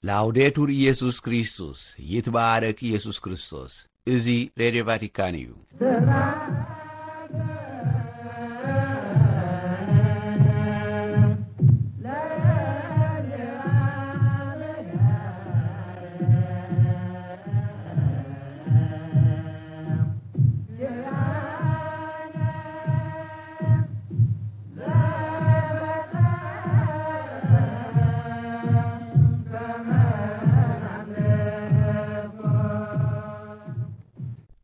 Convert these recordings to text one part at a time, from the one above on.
ላውዴቱር ኢየሱስ ክርስቶስ፣ ይትባረክ ኢየሱስ ክርስቶስ። እዚ ሬድዮ ቫቲካን እዩ።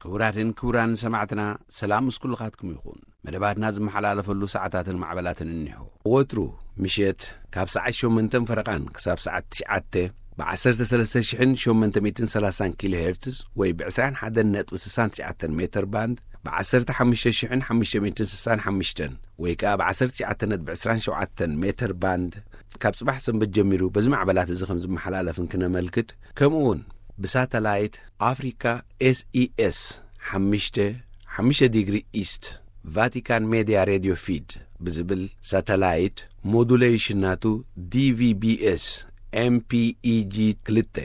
ክቡራትን ክቡራን ሰማዕትና፣ ሰላም ምስ ኩልኻትኩም ይኹን። መደባትና ዝመሓላለፈሉ ሰዓታትን ማዕበላትን እኒሆ። ወትሩ ምሸት ካብ ሰዓት ሸሞንተን ፈረቓን ክሳብ ሰዓት ትሽዓተ ብ ዓሰርተ ሰለስተ ሽሕን ሸሞንተ ሚእትን ሰላሳን ኪሎ ሄርትዝ ወይ ብ ዕስራን ሓደን ነጥቢ ስሳን ትሽዓተን ሜተር ባንድ፣ ብ ዓሰርተ ሓሙሽተ ሽሕን ሓሙሽተ ሚእትን ስሳን ሓሙሽተን ወይ ከኣ ብ ዓሰርተ ትሽዓተ ነጥቢ ዕስራን ሸውዓተን ሜተር ባንድ፣ ካብ ጽባሕ ሰንበት ጀሚሩ በዚ ማዕበላት እዚ ከም ዝመሓላለፍን ክነመልክት፣ ከምኡ እውን ብሳተላይት ኣፍሪካ ኤስኢኤስ ሓሙሽተ ሓሙሽተ ዲግሪ ኢስት ቫቲካን ሜድያ ሬድዮ ፊድ ብዝብል ሳተላይት ሞዱሌሽን ናቱ ዲቪቢኤስ ኤምፒኢጂ ክልተ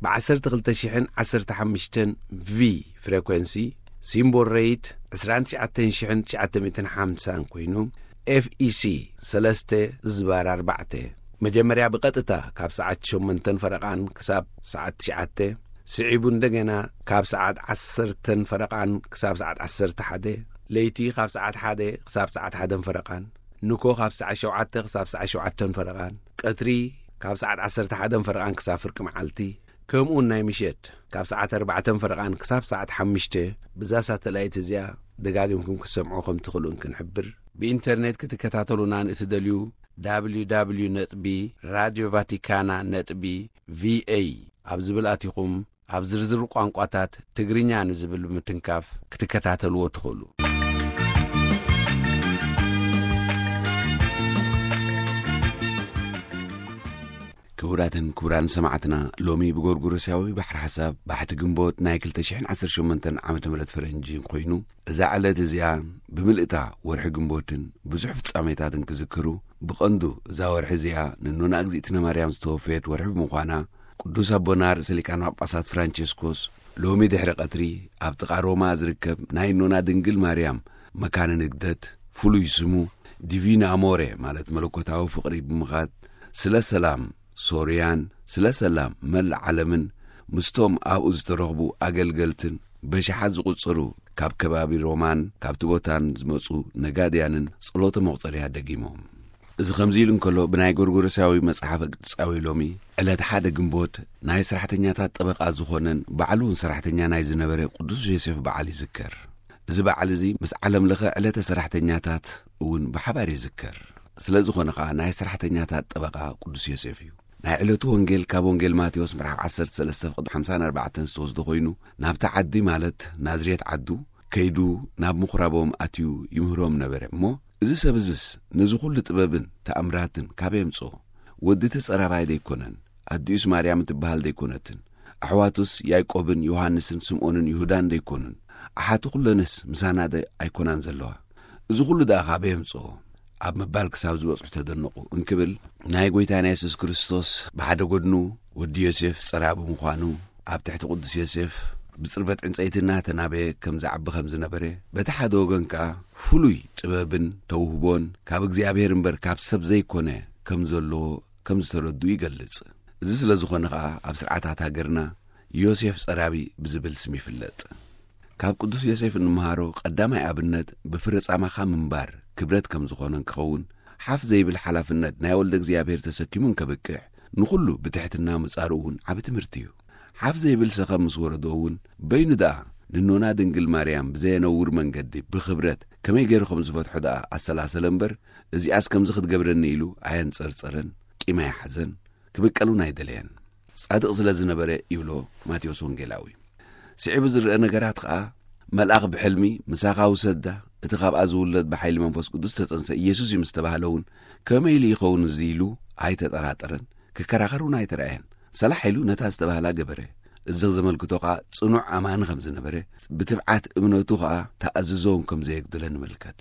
ብ ዓሰርተ ክልተ ሽሕን ዓሰርተ ሓሙሽተን ቪ ፍሬኮንሲ፣ ሲምቦል ሬት ዕስራን ትሽዓተን ሽሕን ትሽዓተ ሚእትን ሓምሳን ኮይኑ፣ ኤፍኢሲ ሰለስተ ዝባር ኣርባዕተ መጀመርያ ብቐጥታ ካብ ሰዓት ሸሞንተን ፈረቓን ክሳብ ሰዓት ትሽዓተ፣ ስዒቡ እንደገና ካብ ሰዓት ዓሰርተን ፈረቓን ክሳብ ሰዓት ዓሰርተ ሓደ፣ ለይቲ ካብ ሰዓት ሓደ ክሳብ ሰዓት ሓደን ፈረቓን፣ ንኮ ካብ ሰዓት ሸውዓተ ክሳብ ሰዓት ሸውዓተን ፈረቓን፣ ቀትሪ ካብ ሰዓት ዓሰርተ ሓደን ፈረቓን ክሳብ ፍርቂ መዓልቲ፣ ከምኡውን ናይ ምሸት ካብ ሰዓት ኣርባዕተን ፈረቓን ክሳብ ሰዓት ሓሙሽተ ብዛ ሳተላይት እዚኣ ደጋጊምኩም ክትሰምዑ ከም ትኽእሉን ክንሕብር። ብኢንተርኔት ክትከታተሉና ንእትደልዩ፣ www ነጥቢ ራድዮ ቫቲካና ነጥቢ ቪኤ ኣብ ዝብል ኣቲኹም፣ ኣብ ዝርዝር ቋንቋታት ትግርኛ ንዝብል ብምትንካፍ ክትከታተልዎ ትኽእሉ። ክቡራትን ክቡራን ሰማዕትና፣ ሎሚ ብጎርጎሮሳዊ ባሕሪ ሓሳብ ባሕቲ ግንቦት ናይ ክልተ ሽሕን ዓሰርተ ሸሞንተን ዓመተ ምህረት ፈረንጂ ኮይኑ፣ እዛ ዕለት እዚኣ ብምልእታ ወርሒ ግንቦትን ብዙሕ ፍጻሜታትን ክዝክሩ፣ ብቐንዱ እዛ ወርሒ እዚኣ ንኖና እግዚኣብነ ማርያም ዝተወፈየት ወርሒ ብምዃና፣ ቅዱስ ኣቦና ርእሰ ሊቃነ ጳጳሳት ፍራንቸስኮስ ሎሚ ድሕሪ ቀትሪ ኣብ ጥቓ ሮማ ዝርከብ ናይ ኖና ድንግል ማርያም መካነ ንግደት፣ ፍሉይ ስሙ ዲቪን ኣሞሬ ማለት መለኮታዊ ፍቕሪ ብምኻድ፣ ስለ ሰላም ሶርያን ስለ ሰላም መላእ ዓለምን ምስቶም ኣብኡ ዝተረኽቡ ኣገልገልትን በሽሓት ዝቑጸሩ ካብ ከባቢ ሮማን ካብቲ ቦታን ዝመጹ ነጋድያንን ጸሎተ መቑጸርያ ደጊሞም። እዚ ከምዚ ኢሉ እንከሎ፣ ብናይ ጎርጎሮሳዊ መጽሓፈ ቅዱሳዊ ሎሚ ዕለት ሓደ ግንቦት ናይ ሰራሕተኛታት ጠበቓ ዝኾነን ባዕሉ እውን ሰራሕተኛ ናይ ዝነበረ ቅዱስ ዮሴፍ በዓል ይዝከር። እዚ በዓል እዚ ምስ ዓለም ለኸ ዕለተ ሰራሕተኛታት እውን ብሓባር ይዝከር። ስለ ዝኾነ ኸኣ ናይ ሰራሕተኛታት ጠበቓ ቅዱስ ዮሴፍ እዩ። ናይ ዕለቱ ወንጌል ካብ ወንጌል ማቴዎስ ምዕራፍ ዓሰርተ ሰለስተ ፍቕዲ ሓምሳን ኣርባዕተን ዝተወስደ ኮይኑ፣ ናብቲ ዓዲ ማለት ናዝሬት ዓዱ ከይዱ ናብ ምኹራቦም ኣትዩ ይምህሮም ነበረ። እሞ እዚ ሰብ እዝስ ነዚ ኹሉ ጥበብን ተኣምራትን ካበይ የምጽኦ? ወዲ እቲ ጸራባይ ደይኮነን? ኣዲኡስ ማርያም እትበሃል ደይኮነትን? ኣሕዋቱስ ያዕቆብን ዮሃንስን ስምዖንን ይሁዳን ደይኮኑን? ኣሓቱ ኩለንስ ምሳና ደ ኣይኮናን ዘለዋ? እዚ ኩሉ ደኣ ካበይ የምጽኦ? ኣብ ምባል ክሳብ ዝበጽሑ ተደነቑ እንክብል፣ ናይ ጐይታና የሱስ ክርስቶስ ብሓደ ጐድኑ ወዲ ዮሴፍ ጸራቢ ምዃኑ፣ ኣብ ትሕቲ ቅዱስ ዮሴፍ ብጽርበት ዕንጸይቲ እናተናበየ ከም ዝዓቢ ከም ዝነበረ፣ በቲ ሓደ ወገን ከኣ ፍሉይ ጥበብን ተውህቦን ካብ እግዚኣብሔር እምበር ካብ ሰብ ዘይኮነ ከም ዘለዎ ከም ዝተረድኡ ይገልጽ። እዚ ስለ ዝኾነ ከኣ ኣብ ስርዓታት ሃገርና ዮሴፍ ጸራቢ ብዝብል ስም ይፍለጥ። ካብ ቅዱስ ዮሴፍ እንመሃሮ ቀዳማይ ኣብነት ብፍረ ጻማኻ ምንባር ክብረት ከም ዝኾነ እንክኸውን፣ ሓፍ ዘይብል ሓላፍነት ናይ ወልደ እግዚኣብሔር ተሰኪሙ እንከብቅዕ፣ ንኹሉ ብትሕትና ምጻሩ እውን ዓቢ ትምህርቲ እዩ። ሓፍ ዘይብል ሰኸም ምስ ወረዶ እውን፣ በይኑ ደኣ ንኖና ድንግል ማርያም ብዘየነውር መንገዲ ብኽብረት ከመይ ገይሩ ከም ዝፈትሖ ደኣ ኣሰላሰለ እምበር፣ እዚኣስ ከምዚ ክትገብረኒ ኢሉ ኣየንጸርጸረን፣ ቂም ኣይሓዘን፣ ክብቀል እውን ኣይደለየን። ጻድቕ ስለ ዝነበረ ይብሎ ማቴዎስ ወንጌላዊ። ስዒቡ ዝረአ ነገራት ኸኣ፣ መልኣኽ ብሕልሚ፣ "ምሳኻ ውሰዳ፣ እቲ ካብኣ ዝውለድ ብሓይሊ መንፈስ ቅዱስ ዝተጸንሰ ኢየሱስ እዩ" ምስ ተባህለ እውን፣ ከመይ ኢሉ ይኸውን እዚ ኢሉ ኣይተጠራጠረን፣ ክከራኸር እውን ኣይተራእየን። ሰላሕ ኢሉ ነታ ዝተባህላ ገበረ። እዚ ዘመልክቶ ኸኣ ጽኑዕ ኣማኒ ከም ዝነበረ፣ ብትብዓት እምነቱ ኸኣ ተኣዝዞ እውን ከም ዘየጉደለ ንምልከት።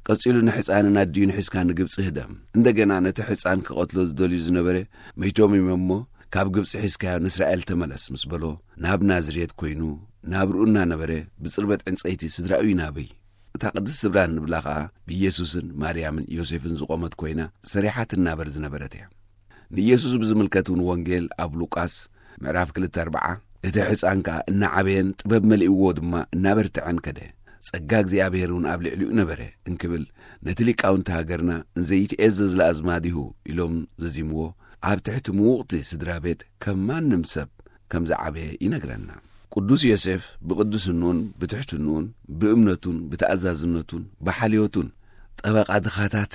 ቀጺሉ ንሕጻንን ኣዲኡን ሒዝካ ንግብጺ ህደም። እንደገና ነቲ ሕጻን ክቐትሎ ዝደልዩ ዝነበረ መይቶም እዮም እሞ፣ ካብ ግብጺ ሒዝካዮ ንእስራኤል ተመለስ ምስ በሎ፣ ናብ ናዝሬት ኮይኑ ናብርኡ እናነበረ ብጽርበት ዕንጸይቲ ስድራኡ ይናበይ። እታ ቅድስቲ ስድራ እንብላ ኸኣ ብኢየሱስን ማርያምን ዮሴፍን ዝቖመት ኮይና ሰሪሓ ትናበር ዝነበረት እያ። ንኢየሱስ ብዝምልከት እውን ወንጌል ኣብ ሉቃስ ምዕራፍ ክልተ ኣርብዓ፣ እቲ ሕፃን ከኣ እናዓበየን ጥበብ መሊእዎ ድማ እናበርትዐን ከደ፣ ጸጋ እግዚኣብሔር እውን ኣብ ልዕሊኡ ነበረ እንክብል፣ ነቲ ሊቃውንቲ ሃገርና ዘይትኤዘዝ ለኣዝማዲሁ ኢሎም ዘዚምዎ፣ ኣብ ትሕቲ ምውቕቲ ስድራ ቤት ከም ማንም ሰብ ከም ዝዓበየ ይነግረና። ቅዱስ ዮሴፍ ብቅድስንኡን ብትሕትንኡን ብእምነቱን ብተኣዛዝነቱን ብሓልዮቱን ጠበቃ ድኻታት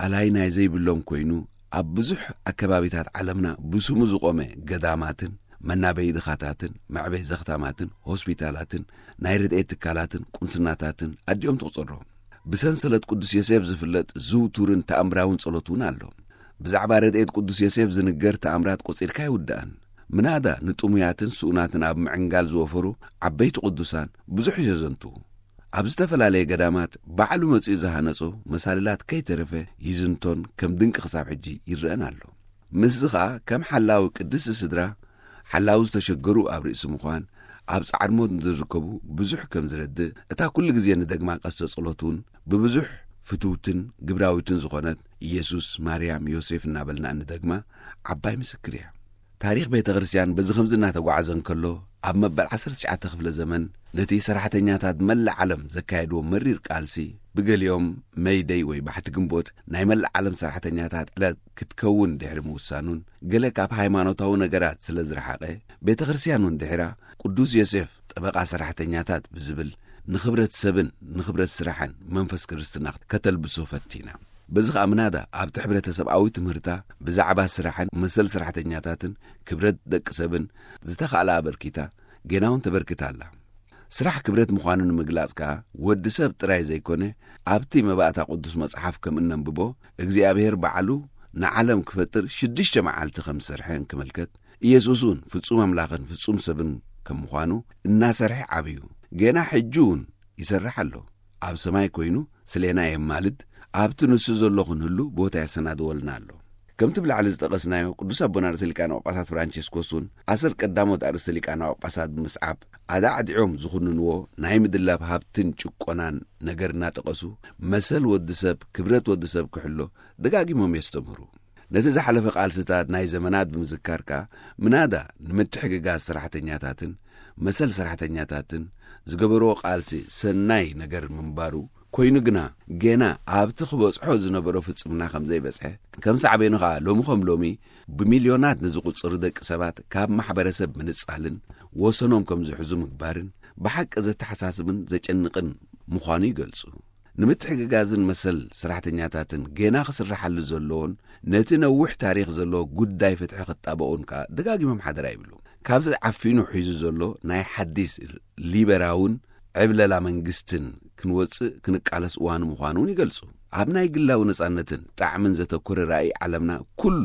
ኣላይ ናይ ዘይብሎም ኮይኑ፣ ኣብ ብዙሕ ኣከባቢታት ዓለምና ብስሙ ዝቆመ ገዳማትን መናበይ ድኻታትን መዕበይ ዘኽታማትን ሆስፒታላትን ናይ ረድኤት ትካላትን ቁምስናታትን ኣዲኦም ትቑጽሮ። ብሰንሰለት ቅዱስ ዮሴፍ ዝፍለጥ ዝውቱርን ተኣምራውን ጸሎት እውን ኣሎ። ብዛዕባ ረድኤት ቅዱስ ዮሴፍ ዝንገር ተኣምራት ቆጺርካ ኣይውዳእን። ምናዳ ንጥሙያትን ስኡናትን ኣብ ምዕንጋል ዝወፈሩ ዓበይቲ ቅዱሳን ብዙሕ የዘንቱ። ኣብ ዝተፈላለየ ገዳማት ባዕሉ መጺኡ ዝሃነጾ መሳልላት ከይተረፈ ይዝንቶን ከም ድንቂ ክሳብ ሕጂ ይረአን ኣሎ። ምስዚ ኸኣ ከም ሓላዊ ቅድስቲ ስድራ፣ ሓላዊ ዝተሸገሩ ኣብ ርእሲ ምዃን፣ ኣብ ጻዕር ሞት ንዝርከቡ ብዙሕ ከም ዝረድእ፣ እታ ኩሉ ግዜ ንደግማ ቀስተ ጸሎት እውን ብብዙሕ ፍትውትን ግብራዊትን ዝኾነት ኢየሱስ፣ ማርያም፣ ዮሴፍ እናበልና እንደግማ ዓባይ ምስክር እያ። ታሪኽ ቤተ ክርስቲያን በዚ ከምዚ እናተጓዓዘ እንከሎ፣ ኣብ መበል ዓሰርተ ትሽዓተ ክፍለ ዘመን ነቲ ሰራሕተኛታት መላእ ዓለም ዘካየድዎ መሪር ቃልሲ፣ ብገሊኦም መይደይ ወይ ባሕቲ ግንቦት ናይ መላእ ዓለም ሰራሕተኛታት ዕለት ክትከውን ድሕሪ ምውሳኑን፣ ገለ ካብ ሃይማኖታዊ ነገራት ስለ ዝረሓቐ፣ ቤተ ክርስቲያን እውን ድሒራ ቅዱስ ዮሴፍ ጠበቃ ሰራሕተኛታት ብዝብል ንኽብረት ሰብን ንኽብረት ስራሕን መንፈስ ክርስትና ከተልብሶ ፈቲና። በዚ ኸኣ ምናዳ ኣብቲ ሕብረተሰብኣዊ ትምህርታ ብዛዕባ ስራሕን መሰል ሰራሕተኛታትን ክብረት ደቂ ሰብን ዝተኻእላ ኣበርኪታ፣ ጌና እውን ተበርክት ኣላ። ስራሕ ክብረት ምዃኑ ንምግላጽ ከኣ ወዲ ሰብ ጥራይ ዘይኮነ፣ ኣብቲ መባእታ ቅዱስ መጽሓፍ ከም እነንብቦ፣ እግዚኣብሔር ባዕሉ ንዓለም ክፈጥር ሽዱሽተ መዓልቲ ከም ዝሰርሐ እንክምልከት፣ ኢየሱስ እውን ፍጹም ኣምላኽን ፍጹም ሰብን ከም ምዃኑ እናሰርሐ ዓብዩ። ጌና ሕጂ እውን ይሰርሕ ኣሎ። ኣብ ሰማይ ኮይኑ ስሌና የማልድ፣ ኣብቲ ንሱ ዘሎ ክንህሉ ቦታ ያሰናድወልና ኣሎ። ከምቲ ብላዕሊ ዝጠቐስናዮ፣ ቅዱስ ኣቦና ርእሰ ሊቃነ ጳጳሳት ፍራንቸስኮስ እውን ኣሰር ቀዳሞት ኣርእስተ ሊቃነ ጳጳሳት ብምስዓብ፣ ኣዳዕዲዖም ዝኹንንዎ ናይ ምድላብ ሃብትን ጭቆናን ነገር እናጠቐሱ፣ መሰል ወዲ ሰብ፣ ክብረት ወዲ ሰብ ክሕሎ ደጋጊሞም የስተምህሩ። ነቲ ዝሓለፈ ቃልስታት ናይ ዘመናት ብምዝካር ከኣ፣ ምናዳ ንምትሕግጋዝ ሰራሕተኛታትን መሰል ሰራሕተኛታትን ዝገበርዎ ቃልሲ ሰናይ ነገር ምንባሩ ኮይኑ ግና፣ ጌና ኣብቲ ክበጽሖ ዝነበሮ ፍጽምና ከም ዘይበጽሐ፣ ከም ሳዕቤኑ ከኣ ሎሚ ከም ሎሚ ብሚልዮናት ንዝቑጽሩ ደቂ ሰባት ካብ ማሕበረሰብ ምንጻልን ወሰኖም ከም ዝሕዙ ምግባርን ብሓቂ ዘተሓሳስብን ዘጨንቕን ምዃኑ ይገልጹ። ንምትሕግጋዝን መሰል ሰራሕተኛታትን ጌና ክስርሓሉ ዘለዎን ነቲ ነዊሕ ታሪኽ ዘለዎ ጉዳይ ፍትሒ ክጣበቑን ከኣ ደጋጊሞም ሓደራ ይብሉ። ካብዚ ዓፊኑ ሒዙ ዘሎ ናይ ሓዲስ ሊበራውን ዕብለላ መንግስትን ክንወጽእ ክንቃለስ እዋኑ ምዃኑ እውን ይገልጹ። ኣብ ናይ ግላዊ ነጻነትን ጣዕምን ዘተኮረ ራእይ ዓለምና ኩሉ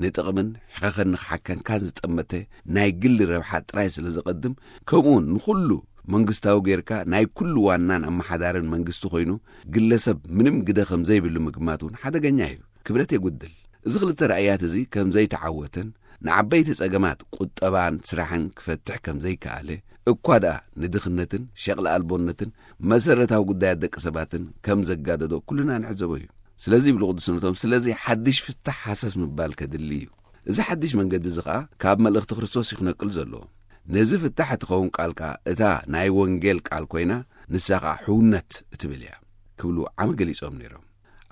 ንጥቕምን ሕኸኸን ንኽሓከንካን ዝጠመተ ናይ ግሊ ረብሓ ጥራይ ስለ ዘቐድም፣ ከምኡውን ንኹሉ መንግስታዊ ጌርካ ናይ ኩሉ ዋናን ኣመሓዳርን መንግስቲ ኮይኑ፣ ግለሰብ ምንም ግደ ከም ዘይብሉ ምግማት እውን ሓደገኛ እዩ። ክብረት የጉድል። እዚ ክልተ ራእያት እዚ ከም ዘይተዓወተን ንዓበይቲ ጸገማት ቁጠባን ስራሕን ክፈትሕ ከም ዘይከኣለ፣ እኳ ደኣ ንድኽነትን ሸቕሊ ኣልቦነትን መሰረታዊ ጉዳያት ደቂ ሰባትን ከም ዘጋደዶ ኩልና ንዕዘቦ እዩ። ስለዚ ይብሉ ቅዱስነቶም፣ ስለዚ ሓድሽ ፍታሕ ሃሰስ ምባል ከድሊ እዩ። እዚ ሓድሽ መንገዲ እዚ ኸኣ ካብ መልእኽቲ ክርስቶስ እዩ ክነቅል ዘለዎ። ነዚ ፍታሕ እትኸውን ቃል ከኣ እታ ናይ ወንጌል ቃል ኮይና፣ ንሳ ኸኣ ሕውነት እትብል እያ ክብሉ ዓሚ ገሊጾም ነይሮም።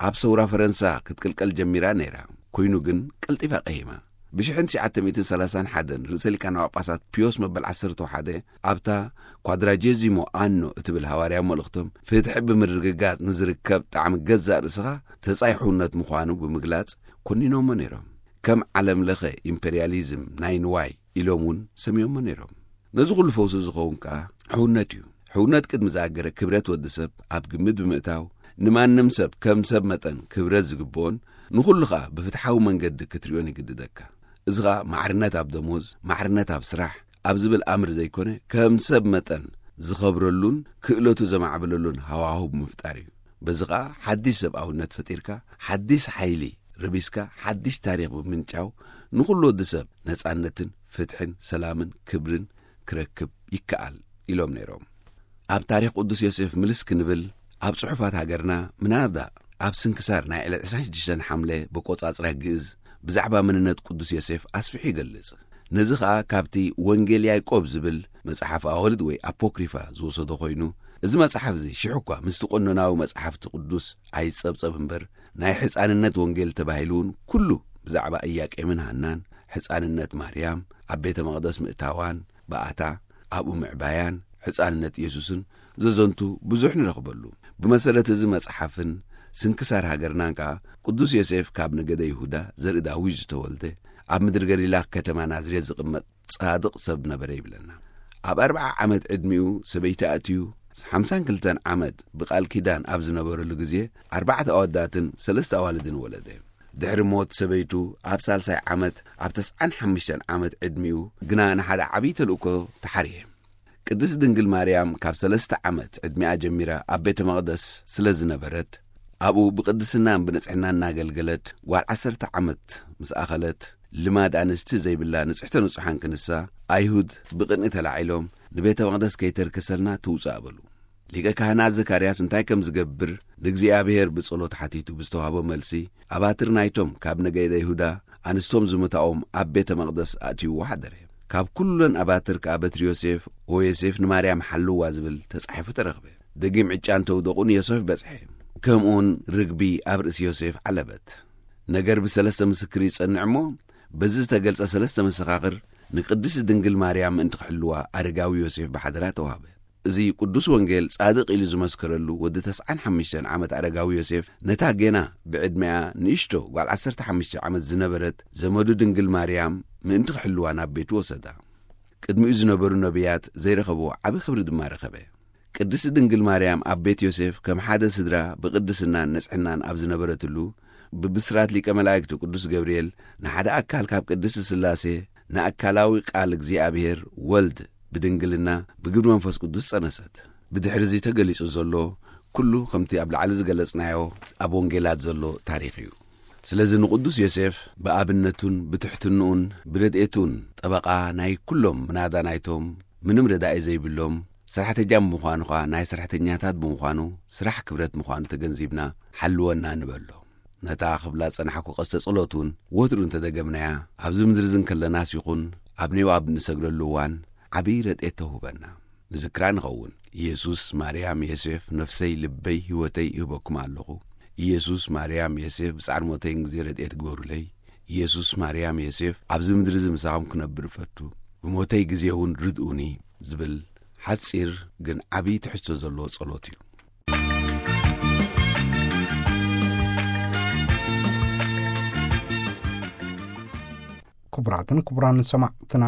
ኣብ ሰውራ ፈረንሳ ክትቅልቀል ጀሚራ ነይራ። ኮይኑ ግን ቀልጢፋ ቀሂማ። ብሽሕን ትሽዓተ ሚእትን ሰላሳን ሓደን ርእሰ ሊቃነ ጳጳሳት ፒዮስ መበል ዓሰርተ ሓደ ኣብታ ኳድራጀዚሞ ኣኖ እትብል ሃዋርያዊ መልእኽቶም፣ ፍትሒ ብምርግጋጽ ንዝርከብ ጣዕሚ ገዛእ ርእስኻ ተጻይ ሕውነት ምዃኑ ብምግላጽ ኮኒኖሞ ነይሮም። ከም ዓለም ለኸ ኢምፔርያሊዝም ናይ ንዋይ ኢሎም እውን ሰሚዮሞ ነይሮም። ነዚ ኩሉ ፈውሲ ዝኸውን ከኣ ሕውነት እዩ። ሕውነት ቅድሚ ዝኣገረ ክብረት ወዲ ሰብ ኣብ ግምት ብምእታው፣ ንማንም ሰብ ከም ሰብ መጠን ክብረት ዝግብኦን ንኹሉ ኸኣ ብፍትሓዊ መንገዲ ክትሪኦን ይግድደካ። እዚ ኸኣ ማዕርነት ኣብ ደሞዝ፣ ማዕርነት ኣብ ስራሕ ኣብ ዝብል ኣምር ዘይኮነ፣ ከም ሰብ መጠን ዝኸብረሉን ክእለቱ ዘማዕብለሉን ሃዋህው ብምፍጣር እዩ። በዚ ኸኣ ሓዲስ ሰብኣውነት ፈጢርካ፣ ሓዲስ ሓይሊ ርቢስካ ሓድሽ ታሪኽ ብምንጫው፣ ንኹሉ ወዲ ሰብ ነጻነትን ፍትሕን ሰላምን ክብርን ክረክብ ይከኣል ኢሎም ነይሮም። ኣብ ታሪኽ ቅዱስ ዮሴፍ ምልስ ክንብል፣ ኣብ ጽሑፋት ሃገርና ምናዳ ኣብ ስንክሳር ናይ ዕለት ዕስራን ሽዱሽተን ሓምለ በቆጻጽራ ግእዝ ብዛዕባ መንነት ቅዱስ ዮሴፍ ኣስፊሑ ይገልጽ። ነዚ ኸኣ ካብቲ ወንጌል ያዕቆብ ዝብል መጽሓፍ ኣዋልድ ወይ ኣፖክሪፋ ዝወሰዶ ኮይኑ፣ እዚ መጽሓፍ እዚ ሽሕ እኳ ምስቲ ቀኖናዊ መጽሓፍቲ ቅዱስ ኣይጸብጸብ እምበር፣ ናይ ሕጻንነት ወንጌል ተባሂሉ እውን ኩሉ ብዛዕባ ኢያቄምን ሃናን፣ ሕጻንነት ማርያም፣ ኣብ ቤተ መቕደስ ምእታዋን፣ ብኣታ ኣብኡ ምዕባያን፣ ሕጻንነት ኢየሱስን ዘዘንቱ ብዙሕ ንረኽበሉ። ብመሰረት እዚ መጽሓፍን ስንክሳር ሃገርናን ከኣ፣ ቅዱስ ዮሴፍ ካብ ነገደ ይሁዳ ዘርኢ ዳዊት ዝተወልደ፣ ኣብ ምድሪ ገሊላ ከተማ ናዝሬት ዝቕመጥ ጻድቕ ሰብ ነበረ ይብለና። ኣብ ኣርብዓ ዓመት ዕድሚኡ ሰበይቲ ኣእትዩ፣ ሓምሳን ክልተን ዓመት ብቓል ኪዳን ኣብ ዝነበረሉ ግዜ፣ ኣርባዕተ ኣወዳትን ሰለስተ ኣዋልድን ወለደ። ድሕሪ ሞት ሰበይቱ፣ ኣብ ሳልሳይ ዓመት፣ ኣብ ተስዓን ሓሙሽተን ዓመት ዕድሚኡ ግና ንሓደ ዓብዪ ተልእኮ ተሓርየ። ቅድስት ድንግል ማርያም ካብ ሰለስተ ዓመት ዕድሚኣ ጀሚራ ኣብ ቤተ መቕደስ ስለ ዝነበረት፣ ኣብኡ ብቅድስናን ብንጽሕናን እናገልገለት፣ ጓል ዓሰርተ ዓመት ምስ ኣኸለት፣ ልማድ ኣንስቲ ዘይብላ ንጽሕተ ንጹሓን ክንሳ፣ ኣይሁድ ብቕንኢ ተላዒሎም፣ "ንቤተ መቕደስ ከይተርክሰልና ትውጻእ" በሉ። ሊቀ ካህናት ዘካርያስ እንታይ ከም ዝገብር ንእግዚኣብሔር ብጸሎት ሓቲቱ ብዝተዋህቦ መልሲ፣ ኣባትር ናይቶም ካብ ነገደ ይሁዳ ኣንስቶም ዝመታኦም ኣብ ቤተ መቕደስ ኣእትይዎ ሓደረ። ካብ ኩለን ኣባትር ከኣ በትሪ ዮሴፍ፣ "ኦ ዮሴፍ ንማርያም ሓልዋ" ዝብል ተጻሒፉ ተረኽበ። ደጊም ዕጫ እንተውደቑ ንዮሴፍ በጽሐ። ከምኡውን ርግቢ ኣብ ርእሲ ዮሴፍ ዓለበት። ነገር ብሰለስተ ምስክር ይጸንዕ እሞ፣ በዚ ዝተገልጸ ሰለስተ መሰኻኽር ንቅድስቲ ድንግል ማርያም ምእንቲ ክሕልዋ ኣረጋዊ ዮሴፍ ብሓደራ ተዋህበ። እዚ ቅዱስ ወንጌል ጻድቕ ኢሉ ዝመስከረሉ ወዲ ተስዓን ሓሙሽተን ዓመት ኣረጋዊ ዮሴፍ፣ ነታ ጌና ብዕድሚኣ ንእሽቶ ጓል ዓሰርተ ሓሙሽተ ዓመት ዝነበረት ዘመዱ ድንግል ማርያም ምእንቲ ክሕልዋ ናብ ቤቱ ወሰዳ። ቅድሚኡ ዝነበሩ ነቢያት ዘይረኸብዎ ዓቢ ክብሪ ድማ ረኸበ። ቅድስቲ ድንግል ማርያም ኣብ ቤት ዮሴፍ ከም ሓደ ስድራ ብቅድስናን ንጽሕናን ኣብ ዝነበረትሉ፣ ብብስራት ሊቀ መላእክቱ ቅዱስ ገብርኤል ንሓደ ኣካል ካብ ቅድስቲ ስላሴ ንኣካላዊ ቃል እግዚኣብሔር ወልድ ብድንግልና ብግብሪ መንፈስ ቅዱስ ጸነሰት። ብድሕሪ እዚ ተገሊጹ ዘሎ ኩሉ ከምቲ ኣብ ላዕሊ ዝገለጽናዮ ኣብ ወንጌላት ዘሎ ታሪኽ እዩ። ስለዚ ንቅዱስ ዮሴፍ ብኣብነቱን ብትሕትንኡን ብረድኤቱን ጠበቓ ናይ ኩሎም ምናዳ ናይቶም ምንም ረዳኢ ዘይብሎም ሰራሕተኛ ብምዃኑ ኸኣ ናይ ሰራሕተኛታት ብምዃኑ ስራሕ ክብረት ምዃኑ ተገንዚብና ሓልወና ንበሎ። ነታ ክብላ ጸናሕኩ ቀስተ ጸሎት እውን ወትሩ እንተደገምናያ፣ ኣብዚ ምድሪ እዚ እንከለናስ ይኹን ኣብ ኔው ኣብ እንሰግደሉ እዋን ዓብዪ ረድኤት ተውህበና። ንዝክራ ንኸውን። ኢየሱስ፣ ማርያም፣ ዮሴፍ፣ ነፍሰይ፣ ልበይ፣ ህይወተይ ይህበኩም ኣለኹ። ኢየሱስ፣ ማርያም፣ ዮሴፍ፣ ብጻዕር ሞተይን ግዜ ረድኤት ግበሩለይ። ኢየሱስ፣ ማርያም፣ ዮሴፍ፣ ኣብዚ ምድሪ እዚ ምሳኹም ክነብር እፈቱ። ብሞተይ ግዜ እውን ርድኡኒ ዝብል ሓጺር ግን ዓብዪ ትሕዝቶ ዘለዎ ጸሎት እዩ። ክቡራትን ክቡራን ሰማዕትና፣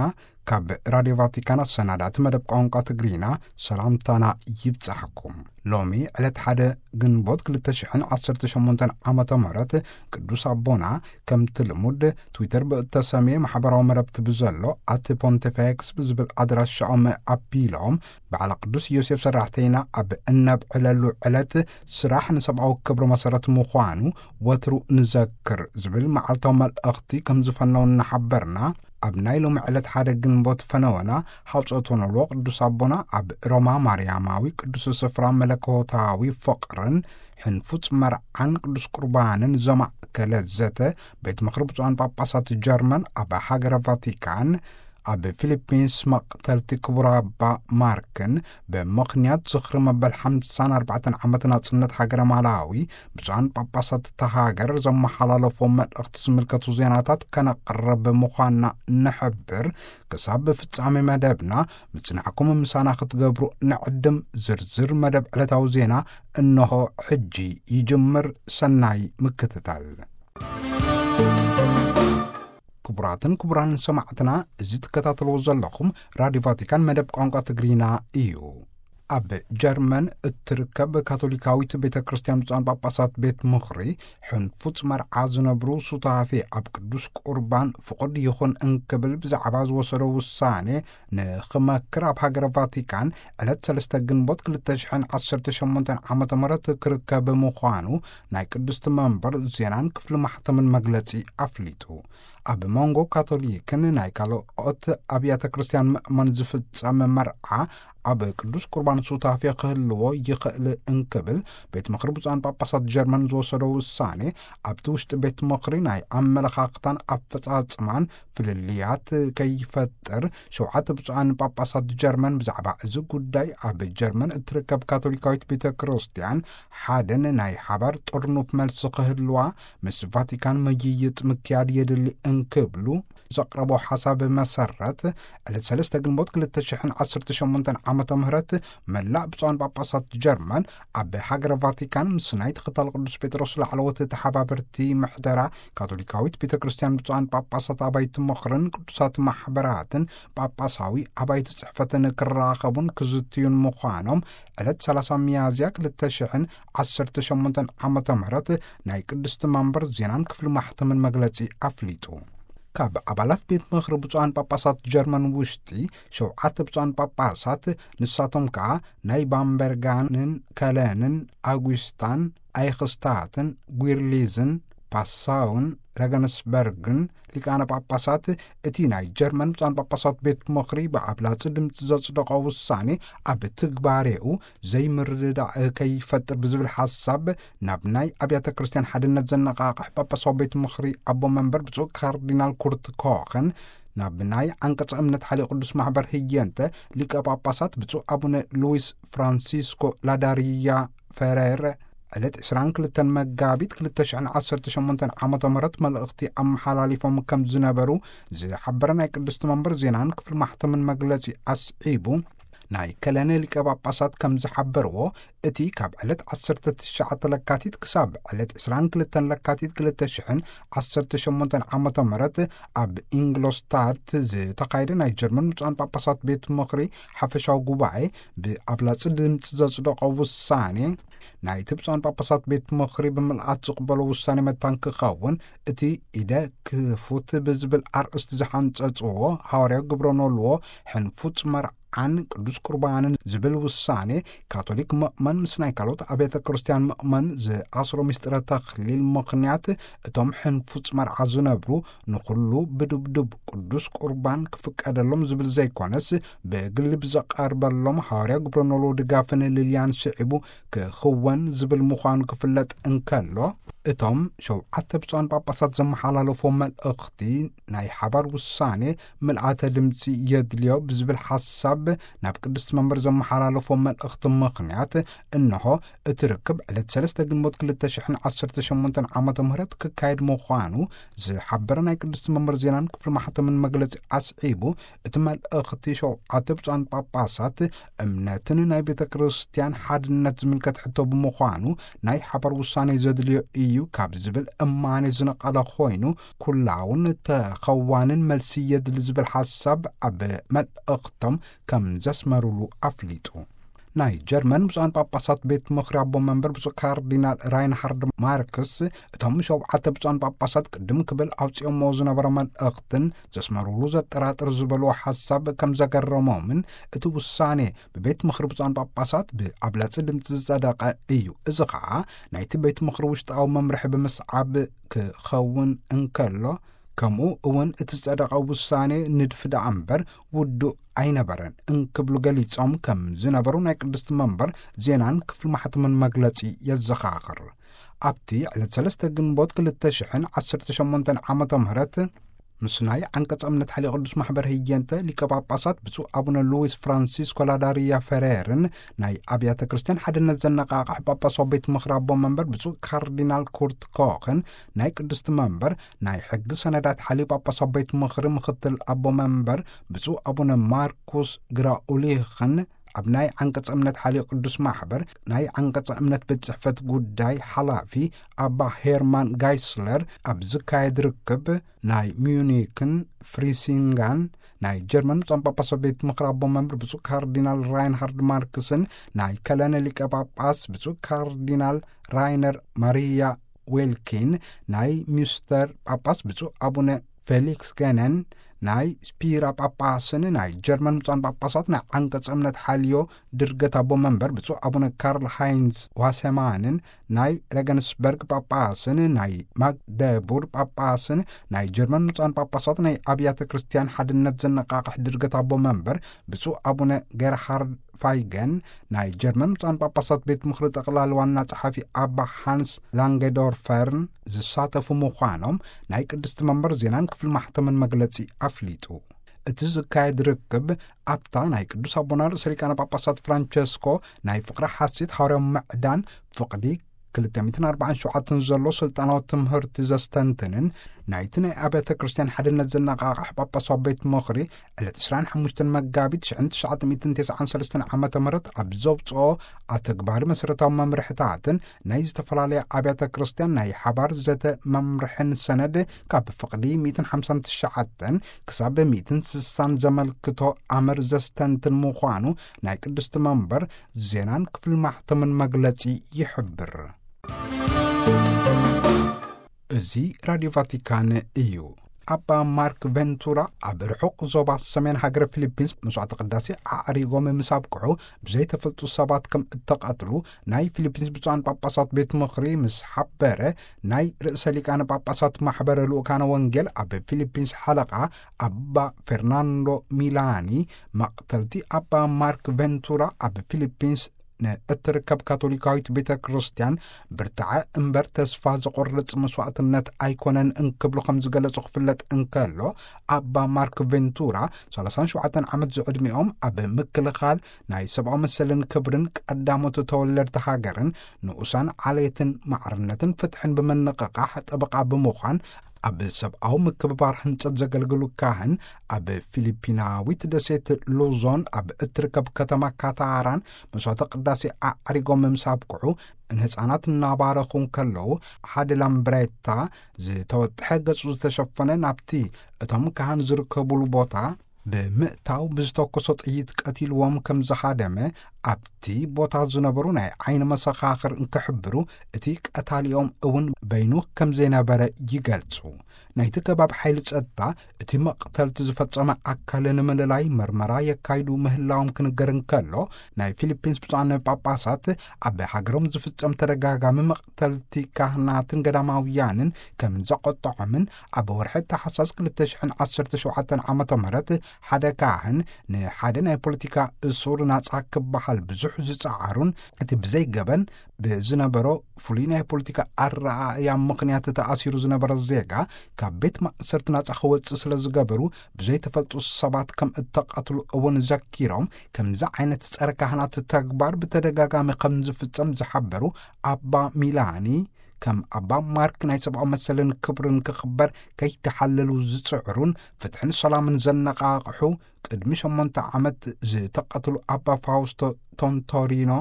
ካብ ራድዮ ቫቲካን ኣሰናዳእቲ መደብ ቋንቋ ትግርኛ ሰላምታና ይብጻሕኩም። ሎሚ ዕለት ሓደ ግንቦት ክልተ ሽሕን ዓሰርተ ሸሞንተን ዓመተ ምህረት ቅዱስ ኣቦና ከምቲ ልሙድ ትዊተር ብእተሰምየ ማሕበራዊ መረብቲ ብዘሎ ኣት ፖንቲፌክስ ብዝብል ኣድራሻኦም ኣቢሎም፣ በዓለ ቅዱስ ዮሴፍ ሰራሕተይና ኣብ እነብዕለሉ ዕለት ስራሕ ንሰብኣዊ ክብሪ መሰረት ምዃኑ ወትሩ ንዘክር ዝብል መዓልታዊ መልእኽቲ ከም ዝፈነው እናሓበርና፣ ኣብ ናይ ሎሚ ዕለት ሓደ ግንቦት ፈነወና ሃውፀት ወነሎ ቅዱስ ኣቦና ኣብ ሮማ ማርያማዊ ቅዱስ ስፍራ መለኮታዊ ፍቕርን ሕንፉጽ መርዓን ቅዱስ ቁርባንን ዘማእከለ ዘተ ቤት ምኽሪ ብፁዓን ጳጳሳት ጀርመን ኣብ ሃገረ ቫቲካን ኣብ ፊሊፒንስ መቕተልቲ ክቡር ኣባ ማርክን ብምኽንያት ዝኽሪ መበል ሓምሳን ኣርባዕተን ዓመት ናጽነት ሃገረ ማላዊ ብፁዓን ጳጳሳት እታ ሃገር ዘመሓላለፎ መልእኽቲ ዝምልከቱ ዜናታት ከነቕርብ ምዃንና ንሕብር። ክሳብ ፍጻሜ መደብና ምጽናዕኩም ምሳና ክትገብሩ ንዕድም። ዝርዝር መደብ ዕለታዊ ዜና እንሆ ሕጂ ይጅምር። ሰናይ ምክትታል። ክቡራትን ክቡራን ሰማዕትና፣ እዚ ትከታተልዎ ዘለኹም ራድዮ ቫቲካን መደብ ቋንቋ ትግርኛ እዩ። ኣብ ጀርመን እትርከብ ካቶሊካዊት ቤተ ክርስቲያን ብፁዓን ጳጳሳት ቤት ምኽሪ፣ ሕንፉጽ መርዓ ዝነብሩ ሱታፌ ኣብ ቅዱስ ቁርባን ፍቑድ ይኹን እንክብል ብዛዕባ ዝወሰዶ ውሳኔ ንኽመክር ኣብ ሃገረ ቫቲካን ዕለት ሰለስተ ግንቦት ክልተ ሽሕን ዓሰርተ ሸሞንተን ዓመተ ምህረት ክርከብ ምዃኑ ናይ ቅድስቲ መንበር ዜናን ክፍሊ ማሕተምን መግለጺ ኣፍሊጡ። ኣብ መንጎ ካቶሊክን ናይ ካልኦት ኣብያተ ክርስቲያን ምእመን ዝፍጸም መርዓ ኣብ ቅዱስ ቁርባን ሱታፌ ክህልዎ ይኽእል እንክብል ቤት ምኽሪ ብፁዓን ጳጳሳት ጀርመን ዝወሰዶ ውሳኔ፣ ኣብቲ ውሽጢ ቤት ምኽሪ ናይ ኣመለኻኽታን ኣፈጻጽማን ፍልልያት ከይፈጥር፣ ሸውዓተ ብፁዓን ጳጳሳት ጀርመን ብዛዕባ እዚ ጉዳይ ኣብ ጀርመን እትርከብ ካቶሊካዊት ቤተ ክርስቲያን ሓደን ናይ ሓባር ጥርኑፍ መልሲ ክህልዋ ምስ ቫቲካን ምይይጥ ምክያድ የድሊ እንክብሉ ዘቕረቦ ሓሳብ መሰረት፣ ዕለት ሰለስተ ግንቦት ክልተ ሽሕን ዓሰርተ ሸሞንተን ዓመተ ምህረት መላእ ብፁዓን ጳጳሳት ጀርመን ኣብ ሃገረ ቫቲካን ምስ ናይ ተኸታል ቅዱስ ጴጥሮስ ላዕለዎት ተሓባበርቲ ምሕደራ ካቶሊካዊት ቤተ ክርስቲያን ብፁዓን ጳጳሳት ኣባይቲ ምኽርን ቅዱሳት ማሕበራትን ጳጳሳዊ ኣባይቲ ጽሕፈትን ክራኸቡን ክዝትዩን ምዃኖም ዕለት ሰላሳ ሚያዝያ ክልተ ሽሕን ዓሰርተ ሸሞንተን ዓመተ ምህረት ናይ ቅድስቲ መንበር ዜናን ክፍሊ ማሕተምን መግለጺ ኣፍሊጡ። ካብ ኣባላት ቤት ምኽሪ ብፁዓን ጳጳሳት ጀርመን ውሽጢ ሸውዓተ ብፁዓን ጳጳሳት፣ ንሳቶም ከኣ ናይ ባምበርጋንን ከለንን፣ ኣጉስታን፣ ኣይክስታትን፣ ጒርሊዝን፣ ፓሳውን ረገንስበርግን ሊቃነ ጳጳሳት፣ እቲ ናይ ጀርመን ብፁዓን ጳጳሳት ቤት ምኽሪ ብኣብላጺ ድምፂ ዘጽደቆ ውሳኔ ኣብ ትግባሬኡ ዘይምርድዳእ ከይፈጥር ብዝብል ሓሳብ ናብ ናይ ኣብያተ ክርስቲያን ሓድነት ዘነቓቕሕ ጳጳሳዊ ቤት ምኽሪ ኣቦ መንበር ብፁዕ ካርዲናል ኩርት ኮኸን፣ ናብ ናይ ዓንቀጸ እምነት ሓልዮ ቅዱስ ማሕበር ህየንተ ሊቀ ጳጳሳት ብፁዕ ኣቡነ ሉዊስ ፍራንሲስኮ ላዳሪያ ፈሬር ዕለት ዕስራን ክልተን መጋቢት ክልተ ሽሕን ዓሰርተ ሸሞንተን ዓመተ ምህረት መልእኽቲ ኣመሓላሊፎም ከም ዝነበሩ ዝሓበረ ናይ ቅድስቲ መንበር ዜናን ክፍሊ ማሕተምን መግለጺ ኣስዒቡ፣ ናይ ከለነ ሊቀ ጳጳሳት ከም ዝሓበርዎ፣ እቲ ካብ ዕለት ዓሰርተ ትሽዓተ ለካቲት ክሳብ ዕለት ዕስራን ክልተን ለካቲት ክልተ ሽሕን ዓሰርተ ሸሞንተን ዓመተ ምህረት ኣብ ኢንግሎስታድት ዝተኻየደ ናይ ጀርመን ብፁዓን ጳጳሳት ቤት ምኽሪ ሓፈሻዊ ጉባኤ ብኣብላጺ ድምፂ ዘጽደቆ ውሳኔ፣ ናይቲ ብፁዓን ጳጳሳት ቤት ምኽሪ ብምልኣት ዝቕበሎ ውሳኔ መታን ክኸውን፣ እቲ ኢደ ክፉት ብዝብል ኣርእስቲ ዝሓንጸጽዎ ሃዋርያዊ ግብረ ኖልዎ ሕንፉጽ መርዓን ቅዱስ ቁርባንን ዝብል ውሳኔ፣ ካቶሊክ ምእመን ምስ ናይ ካልኦት ኣብያተ ክርስቲያን ምእመን ዝኣስሮ ምስጢረ ተኽሊል ምኽንያት፣ እቶም ሕንፉጽ መርዓ ዝነብሩ ንኹሉ ብድብዱብ ቅዱስ ቁርባን ክፍቀደሎም ዝብል ዘይኮነስ፣ ብግሊ ብዘቐርበሎም ሃዋርያዊ ግብረ ኖልዎ ድጋፍን ልልያን ስዒቡ ክኽወን ዝብል ምዃኑ ክፍለጥ እንከሎ፣ እቶም ሸውዓተ ብፁዓን ጳጳሳት ዘመሓላለፎ መልእኽቲ ናይ ሓባር ውሳኔ ምልኣተ ድምፂ የድልዮ ብዝብል ሓሳብ ናብ ቅድስቲ መንበር ዘመሓላለፎ መልእኽቲ ምኽንያት፣ እንሆ እቲ ርክብ ዕለት ሰለስተ ግንቦት ክልተ ሽሕን ዓሰርተ ሸሞንተን ዓመተ ምህረት ክካየድ ምዃኑ ዝሓበረ ናይ ቅድስቲ መንበር ዜናን ክፍሊ ማሕተምን መግለጺ ኣስዒቡ፣ እቲ መልእኽቲ ሸውዓተ ብፁዓን ጳጳሳት እምነትን ናይ ቤተ ክርስቲያን ሓድነት ዝምልከት ሕቶ ብምዃኑ፣ ናይ ሓባር ውሳኔ ዘድልዮ እዩ ካብ ዝብል እማኔ ዝነቐለ ኮይኑ፣ ኩላውን ተኸዋንን መልሲ የድሊ ዝብል ሓሳብ ኣብ መልእኽቶም ከም ዘስመሩሉ ኣፍሊጡ። ናይ ጀርመን ብፁዓን ጳጳሳት ቤት ምኽሪ ኣቦ መንበር ብፁዕ ካርዲናል ራይንሃርድ ማርክስ፣ እቶም ሸውዓተ ብፁዓን ጳጳሳት ቅድም ክብል ኣውፂኦምዎ ዝነበረ መልእኽትን ዘስመሩሉ ዘጠራጥር ዝበልዎ ሓሳብ ከም ዘገረሞምን፣ እቲ ውሳኔ ብቤት ምኽሪ ብፁዓን ጳጳሳት ብኣብላጺ ድምፂ ዝጸደቐ እዩ። እዚ ኸዓ ናይቲ ቤት ምኽሪ ውሽጣዊ መምርሒ ብምስዓብ ክኸውን እንከሎ፣ ከምኡ እውን እቲ ዝጸደቐ ውሳኔ ንድፊ ደኣ እምበር ውዱእ ኣይነበረን እንክብሉ ገሊጾም ከም ዝነበሩ ናይ ቅድስቲ መንበር ዜናን ክፍሊ ማሕተምን መግለጺ የዘኻኽር። ኣብቲ ዕለት ሰለስተ ግንቦት ክልተ ሽሕን ዓሰርተ ሸሞንተን ዓመተ ምህረት ምስ ናይ ዓንቀጸ እምነት ሓልዮ ቅዱስ ማሕበር ህየንተ ሊቀ ጳጳሳት ብፁዕ ኣቡነ ሉዊስ ፍራንሲስኮ ላዳሪያ ፈሬርን ናይ ኣብያተ ክርስቲያን ሓድነት ዘነቓቕሕ ጳጳሳዊ ቤት ምኽሪ ኣቦ መንበር ብፁዕ ካርዲናል ኩርት ኮኽን፣ ናይ ቅድስቲ መንበር ናይ ሕጊ ሰነዳት ሓልዮ ጳጳሳዊ ቤት ምኽሪ ምኽትል ኣቦ መንበር ብፁዕ ኣቡነ ማርኩስ ግራኡሊኽን፣ ኣብ ናይ ዓንቀጸ እምነት ሓልዮ ቅዱስ ማሕበር ናይ ዓንቀጸ እምነት ቤት ጽሕፈት ጉዳይ ሓላፊ ኣባ ሄርማን ጋይስለር ኣብ ዝካየድ ርክብ፣ ናይ ሚዩኒክን ፍሪሲንጋን ናይ ጀርመን ብፁዓን ጳጳሳት ቤት ምኽሪ ኣቦ መንበር ብፁዕ ካርዲናል ራይንሃርድ ማርክስን፣ ናይ ከለነ ሊቀ ጳጳስ ብፁዕ ካርዲናል ራይነር ማሪያ ዌልኪን፣ ናይ ሚስተር ጳጳስ ብፁዕ ኣቡነ ፌሊክስ ገነን፣ ናይ ስፒራ ጳጳስን ናይ ጀርመን ብፁዓን ጳጳሳት ናይ ዓንቀጸ እምነት ሓልዮ ድርገት ኣቦ መንበር ብፁዕ ኣቡነ ካርል ሃይንዝ ዋሰማንን፣ ናይ ሬገንስበርግ ጳጳስን ናይ ማግደቡር ጳጳስን፣ ናይ ጀርመን ብፁዓን ጳጳሳት ናይ ኣብያተ ክርስቲያን ሓድነት ዘነቃቕሕ ድርገት ኣቦ መንበር ብፁዕ ኣቡነ ጌርሃርድ ፋይገን፣ ናይ ጀርመን ብፁዓን ጳጳሳት ቤት ምኽሪ ጠቕላሊ ዋና ጸሓፊ ኣባ ሃንስ ላንገዶርፈርን ዝሳተፉ ምዃኖም ናይ ቅድስቲ መንበር ዜናን ክፍሊ ማሕተምን መግለጺ ኣፍሊጡ። እቲ ዝካየድ ርክብ ኣብታ ናይ ቅዱስ ኣቦና ርእሰ ሊቃነ ጳጳሳት ፍራንቸስኮ ናይ ፍቕሪ ሓሴት ሃዋርያዊ ምዕዳን ፍቕዲ ክልተ ሚእትን ኣርባዓን ሸውዓተን ዘሎ ስልጣናዊ ትምህርቲ ዘስተንትንን፣ ናይቲ ናይ ኣብያተ ክርስቲያን ሓድነት ዘነቓቕሕ ጳጳሳዊ ቤት ምኽሪ ዕለት ዕስራን ሓሙሽተን መጋቢት ሽሕን ትሽዓተ ሚእትን ተስዓን ሰለስተን ዓመተ ምህረት ኣብ ዘውፅኦ ኣተግባሪ መሰረታዊ መምርሕታትን ናይ ዝተፈላለያ ኣብያተ ክርስቲያን ናይ ሓባር ዘተ መምርሕን ሰነድ ካብ ፍቕዲ ሚእትን ሓምሳን ትሽዓተን ክሳብ ሚእትን ስሳን ዘመልክቶ ኣምር ዘስተንትን ምዃኑ ናይ ቅድስቲ መንበር ዜናን ክፍሊ ማሕተምን መግለጺ ይሕብር። እዚ ራድዮ ቫቲካን እዩ። ኣባ ማርክ ቬንቱራ ኣብ ርሑቕ ዞባ ሰሜን ሃገረ ፊሊፒንስ መስዋዕተ ቅዳሴ ኣዕሪጎም ምስ ኣብቅዑ ብዘይተፈልጡ ሰባት ከም እተቐትሉ ናይ ፊሊፒንስ ብፁዓን ጳጳሳት ቤት ምኽሪ ምስ ሓበረ፣ ናይ ርእሰ ሊቃነ ጳጳሳት ማሕበረ ልኡካነ ወንጌል ኣብ ፊሊፒንስ ሓለቓ ኣባ ፌርናንዶ ሚላኒ፣ መቕተልቲ ኣባ ማርክ ቬንቱራ ኣብ ፊሊፒንስ ንእትርከብ ካቶሊካዊት ቤተ ክርስቲያን ብርትዐ እምበር ተስፋ ዘቑርጽ መስዋዕትነት ኣይኮነን እንክብሉ ከም ዝገለጹ ክፍለጥ እንከሎ፣ ኣባ ማርክ ቬንቱራ ሰላሳን ሸውዓተን ዓመት ዝዕድሚኦም ኣብ ምክልኻል ናይ ሰብኣዊ መሰልን ክብርን ቀዳሞት ተወለድቲ ሃገርን ንኡሳን ዓሌትን ማዕርነትን ፍትሕን ብምንቕቓሕ ጠበቓ ብምዃን ኣብ ሰብኣዊ ምክብባር ህንጸት ዘገልግሉ ካህን ኣብ ፊሊፒናዊት ደሴት ሉዞን ኣብ እትርከብ ከተማ ካታራን መስዋዕተ ቅዳሴ ኣዕሪጎም ምስ ኣብቅዑ ንህፃናት እናባረኹ እንከለዉ ሓደ ላምብሬታ ዝተወጥሐ ገጹ ዝተሸፈነ ናብቲ እቶም ካህን ዝርከቡሉ ቦታ ብምእታው ብዝተኮሶ ጥይት ቀቲልዎም ከም ዝሃደመ ኣብቲ ቦታ ዝነበሩ ናይ ዓይኒ መሰኻኽር እንክሕብሩ፣ እቲ ቀታሊኦም እውን በይኑ ከም ዘይነበረ ይገልጹ። ናይቲ ከባቢ ሓይሊ ጸጥታ እቲ መቕተልቲ ዝፈጸመ ኣካል ንምልላይ መርመራ የካይዱ ምህላዎም ክንገር እንከሎ፣ ናይ ፊሊፒንስ ብፁዓን ጳጳሳት ኣብ ሃገሮም ዝፍጸም ተደጋጋሚ መቕተልቲ ካህናትን ገዳማውያንን ከም ዘቆጥዖምን ኣብ ወርሒ ታሕሳስ ክልተ ሽሕን ዓሰርተ ሸውዓተን ዓመተ ምህረት ሓደ ካህን ንሓደ ናይ ፖለቲካ እሱር ናጻ ክበሃል ብዙሕ ዝጸዓሩን እቲ ብዘይገበን ብዝነበሮ ፍሉይ ናይ ፖለቲካ ኣረኣእያ ምኽንያት ተኣሲሩ ዝነበረ ዜጋ ካብ ቤት ማእሰርቲ ናጻ ክወጽእ ስለ ዝገበሩ ብዘይተፈልጡ ሰባት ከም እተቐትሉ እውን ዘኪሮም፣ ከምዚ ዓይነት ጸረ ካህናት ተግባር ብተደጋጋሚ ከም ዝፍጸም ዝሓበሩ ኣባ ሚላኒ፣ ከም ኣባ ማርክ ናይ ሰብኣዊ መሰልን ክብርን ክኽበር ከይተሓለሉ ዝጽዕሩን ፍትሕን ሰላምን ዘነቓቕሑ ቅድሚ ሸሞንተ ዓመት ዝተቐትሉ ኣባ ፋውስቶ ቶንቶሪኖ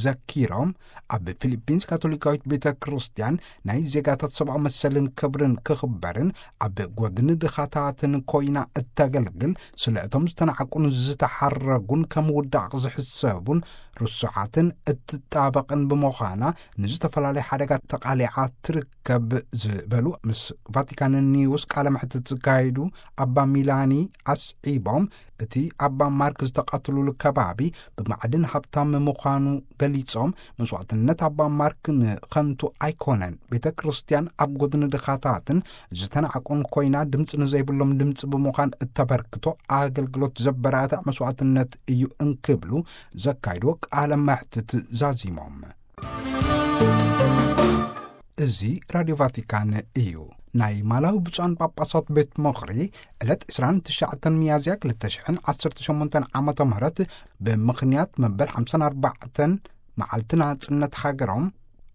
ዘኪሮም፣ ኣብ ፊሊፒንስ ካቶሊካዊት ቤተ ክርስቲያን ናይ ዜጋታት ሰብኣዊ መሰልን ክብርን ክኽበርን ኣብ ጎድኒ ድኻታትን ኮይና እተገልግል፣ ስለ እቶም ዝተናዕቁን ዝተሓረጉን ከም ውዳቕ ዝሕሰቡን ርሱዓትን እትጣበቕን ብምዃና ንዝተፈላለየ ሓደጋ ተቓሊዓ ትርከብ ዝበሉ ምስ ቫቲካን ኒውስ ቃለ መሕትት ዝካየዱ ኣባ ሚላኒ ኣስዒቦም፣ እቲ ኣባ ማርክ ዝተቐትሉሉ ከባቢ ብማዕድን ሃብታም ምዃኑ ገሊጾም፣ መስዋዕትነት ኣባ ማርክ ንኸንቱ ኣይኮነን፣ ቤተ ክርስቲያን ኣብ ጎድኒ ድኻታትን ዝተናዕቁን ኮይና ድምፂ ንዘይብሎም ድምፂ ብምዃን እተበርክቶ ኣገልግሎት ዘበራትዕ መስዋዕትነት እዩ እንክብሉ ዘካይድዎ ቃለ መሕትት ዛዚሞም። እዚ ራድዮ ቫቲካን እዩ። ናይ ማላዊ ብፁዓን ጳጳሳት ቤት ምኽሪ ዕለት ዕስራን ትሽዓተን ሚያዝያ ክልተ ሽሕን ዓሰርተ ሸሞንተን ዓመተ ምህረት ብምኽንያት መበል ሓምሳን ኣርባዕተን መዓልቲ ናጽነት ሃገሮም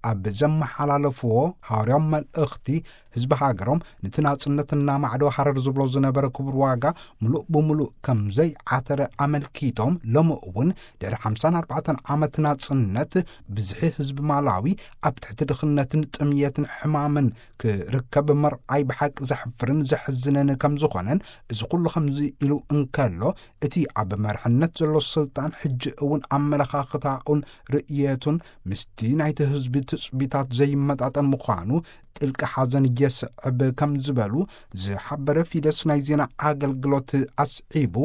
ኣብ ዘመሓላለፍዎ ሃዋርያዊ መልእኽቲ፣ ህዝቢ ሃገሮም ነቲ ናጽነትና ማዕዶ ሃረር ዝብሎ ዝነበረ ክቡር ዋጋ ምሉእ ብምሉእ ከም ዘይዓተረ ኣመልኪቶም፣ ሎሚ እውን ድሕሪ ሓምሳን ኣርባዕተን ዓመት ናጽነት፣ ብዝሒ ህዝቢ ማላዊ ኣብ ትሕቲ ድኽነትን ጥምየትን ሕማምን ክርከብ መርኣይ ብሓቂ ዘሕፍርን ዘሕዝንን ከም ዝኾነን፣ እዚ ኩሉ ከምዚ ኢሉ እንከሎ፣ እቲ ኣብ መርሕነት ዘሎ ስልጣን ሕጂ እውን ኣመለኻኽታኡን ርእየቱን ምስቲ ናይቲ ህዝቢ ትጽቢታት ዘይመጣጠን ምዃኑ ጥልቂ ሓዘን የስዕብ ከም ዝበሉ ዝሓበረ ፊደስ ናይ ዜና ኣገልግሎት ኣስዒቡ፣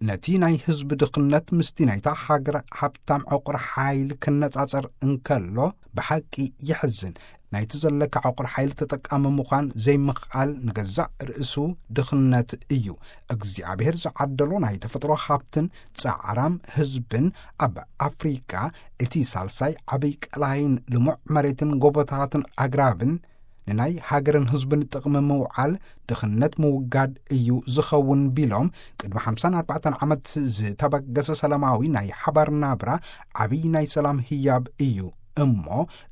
ነቲ ናይ ህዝቢ ድኽነት ምስቲ ናይታ ሃገር ሃብታም ዕቑር ሓይሊ ክነጻጸር እንከሎ ብሓቂ የሕዝን። ናይቲ ዘለካ ዕቑር ሓይሊ ተጠቃሚ ምዃን ዘይምኽኣል ንገዛእ ርእሱ ድኽነት እዩ። እግዚኣብሔር ዝዓደሎ ናይ ተፈጥሮ ሃብትን ጻዕራም ህዝብን ኣብ ኣፍሪቃ እቲ ሳልሳይ ዓብይ ቀላይን ልሙዕ መሬትን ጎቦታትን ኣግራብን ንናይ ሃገርን ህዝብን ጥቕሚ ምውዓል ድኽነት ምውጋድ እዩ ዝኸውን ቢሎም፣ ቅድሚ ሓምሳን ኣርባዕተን ዓመት ዝተበገሰ ሰላማዊ ናይ ሓባር ናብራ ዓብይ ናይ ሰላም ህያብ እዩ እሞ፣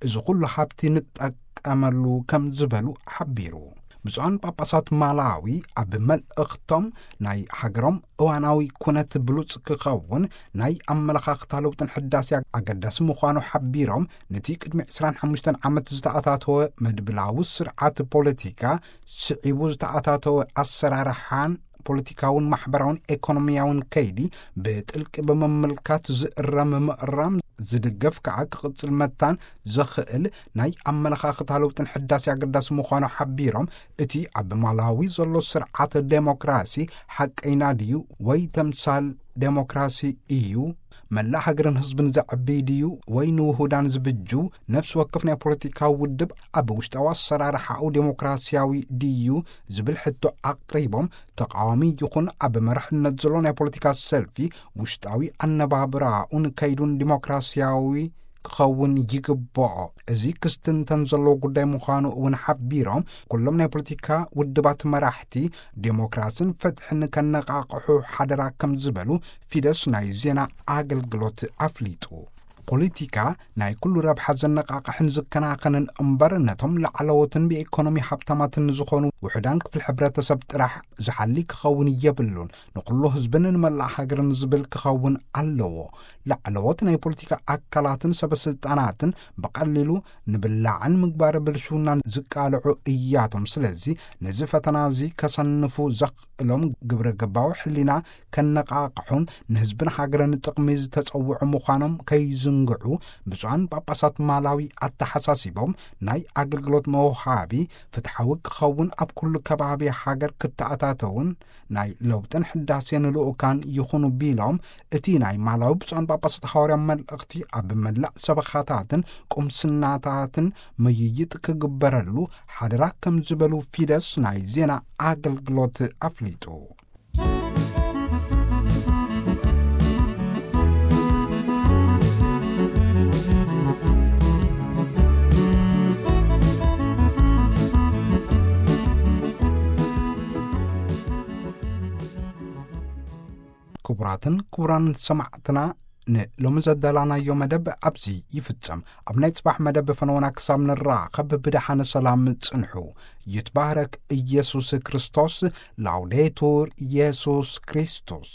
እዚ ኩሉ ሃብቲ ንጠቀመሉ ከም ዝበሉ ሓቢሩ። ብፁዓን ጳጳሳት ማላዊ ኣብ መልእኽቶም፣ ናይ ሃገሮም እዋናዊ ኩነት ብሉጽ ክኸውን ናይ ኣመለኻኽታ ለውጥን ሕዳሴ ኣገዳሲ ምዃኑ ሓቢሮም፣ ነቲ ቅድሚ ዕስራን ሓሙሽተን ዓመት ዝተኣታተወ መድብላዊ ስርዓት ፖለቲካ፣ ስዒቡ ዝተኣታተወ ኣሰራርሓን ፖለቲካውን ማሕበራውን ኤኮኖሚያውን ከይዲ ብጥልቂ ብምምልካት ዝእረም ምእራም ዝድገፍ ከኣ ክቕጽል መታን ዘኽእል ናይ ኣመለኻኽታ ለውጥን ሕዳሴ ኣገዳሲ ምዃኑ ሓቢሮም፣ እቲ ኣብ ማላዊ ዘሎ ስርዓት ዴሞክራሲ ሓቀይና ድዩ ወይ ተምሳል ዴሞክራሲ እዩ? መላእ ሃገርን ህዝብን ዘዕቢ ድዩ ወይ ንውሁዳን ዝብጁ ነፍሲ ወከፍ ናይ ፖለቲካዊ ውድብ ኣብ ውሽጣዊ ኣሰራርሓኡ ዴሞክራሲያዊ ድዩ ዝብል ሕቶ ኣቕሪቦም፣ ተቃዋሚ ይኹን ኣብ መራሕነት ዘሎ ናይ ፖለቲካ ሰልፊ ውሽጣዊ ኣነባብራኡን ከይዱን ዲሞክራሲያዊ ክኸውን ይግብኦ። እዚ ክስትንተን ዘለዎ ጉዳይ ምዃኑ እውን ሓቢሮም፣ ኩሎም ናይ ፖለቲካ ውድባት መራሕቲ ዴሞክራስን ፍትሕን ከነቓቕሑ ሓደራ ከም ዝበሉ ፊደስ ናይ ዜና ኣገልግሎት ኣፍሊጡ። ፖለቲካ ናይ ኩሉ ረብሓ ዘነቓቕሕን ዝከናኸንን እምበር፣ ነቶም ላዕለዎትን ብኢኮኖሚ ሃብታማትን ዝኾኑ ውሑዳን ክፍሊ ሕብረተሰብ ጥራሕ ዝሓሊ ክኸውን የብሉን። ንኹሉ ህዝብን ንመላእ ሃገርን ዝብል ክኸውን ኣለዎ። ላዕለዎት ናይ ፖለቲካ ኣካላትን ሰበ ስልጣናትን ብቐሊሉ ንብላዕን ምግባረ ብልሽውናን ዝቃልዑ እያቶም። ስለዚ ነዚ ፈተና እዚ ከሰንፉ ዘኽእሎም ግብረ ገባዊ ሕሊና ከነቓቕሑን ንህዝብን ሃገርን ጥቕሚ ዝተጸውዑ ምዃኖም ከይዝንግዑ ብፁዓን ጳጳሳት ማላዊ ኣተሓሳሲቦም፣ ናይ ኣገልግሎት መውሃቢ ፍትሓዊ ክኸውን ኣብ ኩሉ ከባቢ ሃገር ክተኣታተውን ናይ ለውጥን ሕዳሴን ልኡካን ይኹኑ ቢሎም፣ እቲ ናይ ማላዊ ብፁዓን ጳጳሳት ሃዋርያ መልእኽቲ ኣብ መላእ ሰበኻታትን ቁምስናታትን ምይይጥ ክግበረሉ ሓደራ ከም ዝበሉ ፊደስ ናይ ዜና ኣገልግሎት ኣፍሊጡ። ክቡራትን ክቡራን ሰማዕትና፣ ንሎሚ ዘዳላናዮ መደብ ኣብዚ ይፍጸም። ኣብ ናይ ጽባሕ መደብ ፈነወና ክሳብ ንራኸብ ብደሓነ ሰላም ጽንሑ። ይትባረክ ኢየሱስ ክርስቶስ። ላውዴቱር ኢየሱስ ክርስቶስ።